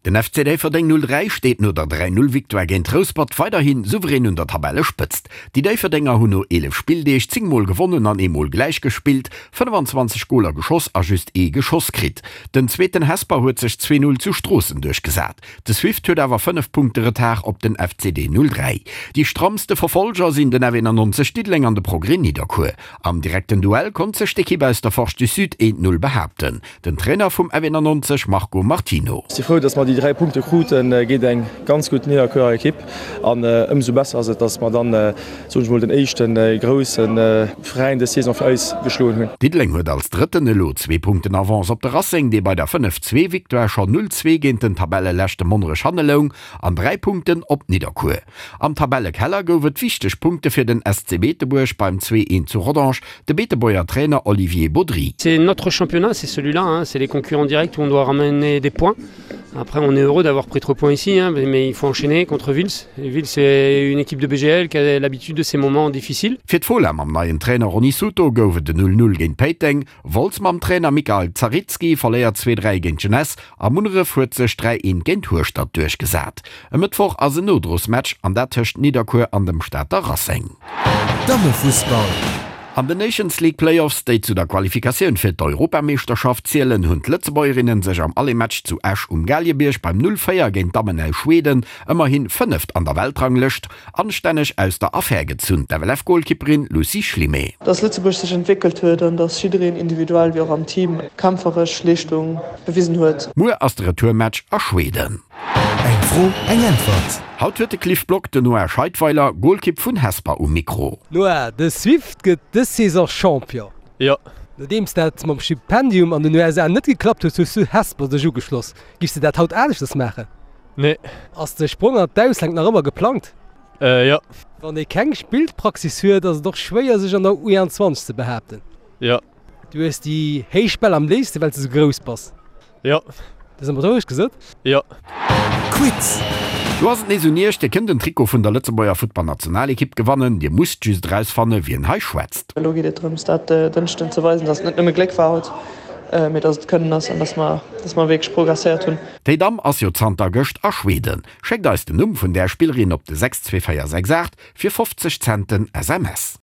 Den FC Déifferdeng 03 steet no der 3, 0 Victoire géint Rouspert weiderhi souverän un der Tabellespëtzt. Déi Déifferdenger hunn no 11 Spilldeeg 10 mol gewonnen an ee Mol gläich gespillt, 25 Goler geschoss a just ee geschoss kritt. Den zweeten Hesper huet sech 2, 0 zu Stroossen duerchgesat. De Swift huet awer 5 Punkte Retard op den FCD 03. Déi strammste Verfolger sinn den F91 Diddeleng an de Progrès Nidderkuer. Am direkten Duell konnt sech d'Ekipp aus der Forge du Sud 1, 0 behaapten. Den Trainer vum F91 Marco Martino. Si frou, dass mer déi 3 Punkte kruten géint eng ganz gutt Nidderkuerer Ekipp an ëmsou besser ass et, dass mer dann, soen ech mol, den éischte grousse Veräin dës Saison fir eis geschloen hunn. Diddeleng huet als Drëtten elo zwee Punkten Avance op de Racing, dee bei der 5, 2 Victoire schonn 0, 2 géint den Tabelleleschte Monnerech hanne loung, an 3 Punkten op Nidderkuer. Am Tabellekeller gouf et wichteg Punkte fir den SC Beetebuerg beim 2, 1 zu Rodange. De Beetebuerger Trainer Olivier Baudry. C'est notre championnat, c'est celui-là, hein, c'est les concurrents directs où on doit ramener des points. Après on est heureux d'avoir pris trois points ici hein, mais il faut enchaîner contre Vils. Vils c'est une équipe de BGL qui a l'habitude de ces moments difficiles. Fir d'Fola mam neien Trainer Ronny Souto gouf et en 0-0 géint Péiteng, Wolz mam Trainer Mikael Zaritski verléiert 2-3 géint d'Jeunesse a Munneref huet sech 3-1 géint Hueschtert duerchgesat. E Mëttwoch ass en Nodrosmatch an dat tëscht Nidderkuer an dem Stater Racing. Dammefussball. An den Nations League Playoffs, déi zu der Qualifikatioun fir d'Europameeschterschaft zielen, hunn d'Lëtzebuergerinnen sech am Aller-Match zu Esch um Galiebierg beim 0, 4 géint d'Dammen aus Schweden, ëmmerhi Fënneft an der Weltranglëscht, anstänneg aus der Affär gezunn. D'FLF-Golkipperin Lucie Schlimé. Dass Lëtzebuerg sech entwéckelt huet an dass jiddereen individuell wéi och am Team kämpferesch Leeschtung bewisen huet. Muer ass de Retourmatch a Schweden. Eng Fro, eng Äntwert. Haut huet de Cliff Block den Noah Scheidweiler, Golkipp vun Hesper um Mikro. Noah, de Swift gëtt dës Saison Champion. Jo. Nodeems dat mam Stipendium an den USA net geklappt huet, hues du Hesper dech ugeschloss. Giffs de dat haut aneschters maachen? Nee. Ass de Sprong an d'Ausland nach ëmmer geplangt? Jo. Wann ee keng Spillpraxis huet, ass et och schwéier sech an der U21 ze behaapten. Jo. Du hues déi héich Bäll am léifsten, well s de sou grouss bass. Jo. Dat ass ëmmer gesot? Jo. Quiz! Do ass et nees un Iech, Dir kënnt en Trikot vun der Lëtzebuerger Futtballnationalekipp gewannen. Dir musst just erausfanne wien hei schwätzt. Elo geet et drëms, dat Dënschden ze weisen, dass et net nëmme Gléck war haut, mee dass et Kënnen ass an dass mer, dass mer wierklech progresséiert hunn. Déi Damm ass jo zanter gëscht a Schweden. Schéckt eis den Numm vun där Spillerin op de 62468 fir 50 Cent den SMS.